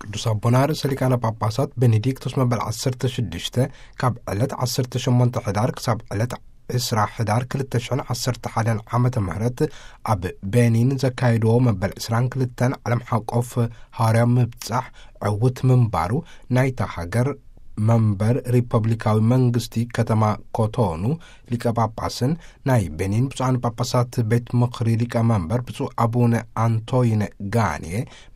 ቅዱስ ኣቦና ርእሰ ሊቃነ ጳጳሳት ቤኔዲክቶስ መበል ዓሰርተ ሽዱሽተ ካብ ዕለት ዓሰርተ ሸሞንተ ሕዳር ክሳብ ዕለት ዕስራ ሕዳር ክልተ ሽሕን ዓሰርተ ሓደን ዓመተ ምህረት ኣብ ቤኒን ዘካየድዎ መበል ዕስራን ክልተን ዓለም ሓቆፍ ሃዋርያዊ ምብጻሕ ዕውት ምንባሩ ናይታ ሃገር መንበር ሪፐብሊካዊ መንግስቲ ከተማ ኮቶኑ ሊቀ ጳጳስን ናይ ቤኒን ብፁዓን ጳጳሳት ቤት ምኽሪ ሊቀ መንበር ብፁዕ ኣቡነ ኣንቶይነ ጋኔ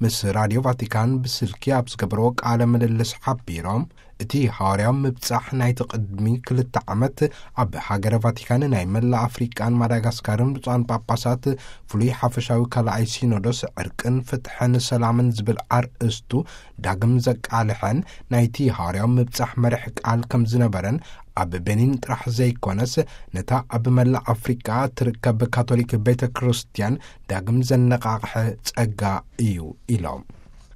ምስ ራዲዮ ቫቲካን ብስልኪ ኣብ ዝገበርዎ ቃለ ምልልስ ሓቢሮም፣ እቲ ሃዋርያዊ ምብጻሕ ናይቲ ቅድሚ ክልተ ዓመት ኣብ ሃገረ ቫቲካን ናይ መላእ ኣፍሪቃን ማዳጋስካርን ብፁዓን ጳጳሳት ፍሉይ ሓፈሻዊ ካልኣይ ሲኖዶስ ዕርቅን ፍትሕን ሰላምን ዝብል ኣርእስቱ ዳግም ዘቃልሐን ናይቲ ሃዋርያዊ ምብጻሕ መርሕ ቃል ከም ዝነበረን፣ ኣብ ቤኒን ጥራሕ ዘይኮነስ ነታ ኣብ መላእ ኣፍሪቃ ትርከብ ካቶሊክ ቤተ ክርስቲያን ዳግም ዘነቓቕሐ ጸጋ እዩ ኢሎም።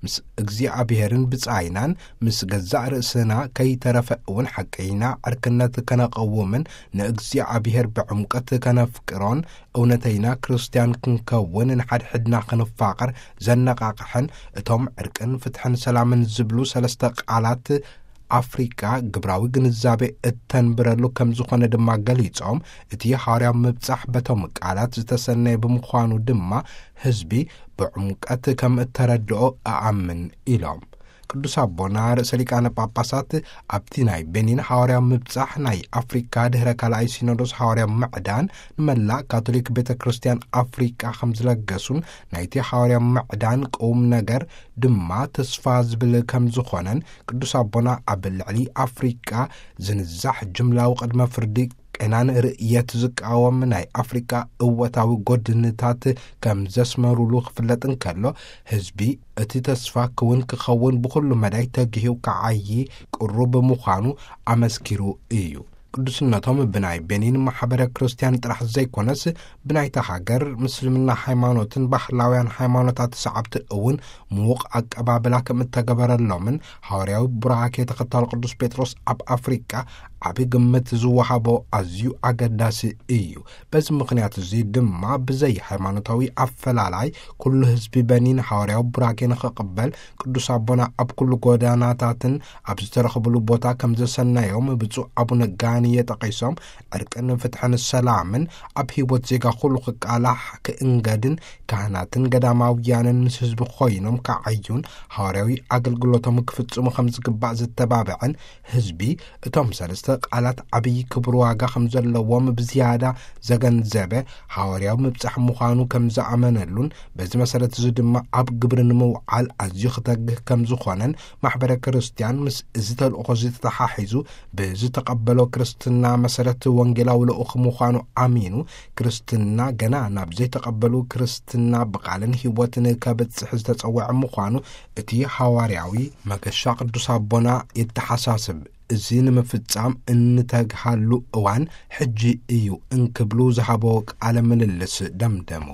ምስ እግዚኣብሔርን ብጻይናን ምስ ገዛእ ርእስና ከይተረፈ እውን ሓቀይና ዕርክነት ከነቐውምን ንእግዚኣብሔር ብዕምቀት ከነፍቅሮን እውነተይና ክርስትያን ክንከውን ንሓድሕድና ክንፋቐር ዘነቓቕሐን እቶም ዕርቅን ፍትሕን ሰላምን ዝብሉ ሰለስተ ቃላት ኣፍሪቃ ግብራዊ ግንዛቤ እተንብረሉ ከም ዝኾነ ድማ ገሊጾም፣ እቲ ሃዋርያዊ ምብጻሕ በቶም ቃላት ዝተሰነየ ብምዃኑ ድማ ህዝቢ ብዕምቀት ከም እተረድኦ እኣምን ኢሎም። ቅዱስ ኣቦና ርእሰ ሊቃነ ጳጳሳት ኣብቲ ናይ ቤኒን ሃዋርያዊ ምብጻሕ ናይ ኣፍሪካ ድሕረ ካልኣይ ሲኖዶስ ሃዋርያዊ ምዕዳን ንመላእ ካቶሊክ ቤተ ክርስቲያን ኣፍሪካ ከም ዝለገሱን ናይቲ ሃዋርያዊ ምዕዳን ቁም ነገር ድማ ተስፋ ዝብል ከም ዝኾነን ቅዱስ ኣቦና ኣብ ልዕሊ ኣፍሪቃ ዝንዛሕ ጅምላዊ ቅድመ ፍርዲ ቄናን ርእየት ዝቃወም ናይ ኣፍሪቃ እወታዊ ጎድንታት ከም ዘስመሩሉ ክፍለጥ እንከሎ፣ ህዝቢ እቲ ተስፋ ክውን ክኸውን ብኹሉ መዳይ ተግሂው ክዓዪ ቅሩብ ምዃኑ ኣመስኪሩ እዩ። ቅዱስነቶም ብናይ ቤኒን ማሕበረ ክርስቲያን ጥራሕ ዘይኮነስ ብናይታ ሃገር ምስልምና ሃይማኖትን ባህላውያን ሃይማኖታት ሰዓብቲ እውን ምዉቕ ኣቀባብላ ከም እተገበረሎምን ሃዋርያዊ ቡራኬ ተኸታሊ ቅዱስ ጴጥሮስ ኣብ ኣፍሪቃ ዓቢ ግምት ዝወሃቦ ኣዝዩ ኣገዳሲ እዩ። በዚ ምኽንያት እዚ ድማ ብዘይ ሃይማኖታዊ ኣፈላላይ ኩሉ ህዝቢ በኒን ሃዋርያዊ ቡራኬ ንኽቕበል ቅዱስ ኣቦና ኣብ ኩሉ ጎዳናታትን ኣብ ዝተረኽብሉ ቦታ ከም ዘሰናዮም ብፁዕ ኣቡነ ጋንየ ጠቒሶም፣ ዕርቅን ፍትሕን ሰላምን ኣብ ህይወት ዜጋ ኩሉ ክቃላሕ ክእንገድን ካህናትን ገዳማውያንን ምስ ህዝቢ ኮይኖም ክዓዩን ሃዋርያዊ ኣገልግሎቶም ክፍጽሙ ከም ዝግባእ ዝተባብዐን ህዝቢ እቶም ሰለስተ ቃላት ዓብዪ ክብር ዋጋ ከም ዘለዎም ብዝያዳ ዘገንዘበ ሃዋርያዊ ምብጻሕ ምዃኑ ከም ዝኣመነሉን በዚ መሰረት እዚ ድማ ኣብ ግብሪ ንምውዓል ኣዝዩ ክተግህ ከም ዝኾነን ማሕበረ ክርስቲያን ምስ እዚ ተልእኾ እዚ ተተሓሒዙ ብዝተቐበሎ ክርስትና መሰረት ወንጌላዊ ልኡኽ ምዃኑ ኣሚኑ፣ ክርስትና ገና ናብ ዘይተቐበሉ ክርስትና ብቓልን ህይወትን ከብጽሕ ዝተጸውዐ ምዃኑ እቲ ሃዋርያዊ መገሻ ቅዱስ ኣቦና የተሓሳስብ። እዚ ንምፍጻም እንተግሃሉ እዋን ሕጂ እዩ እንክብሉ ዝሃቦ ቃለ ምልልስ ደምደሙ።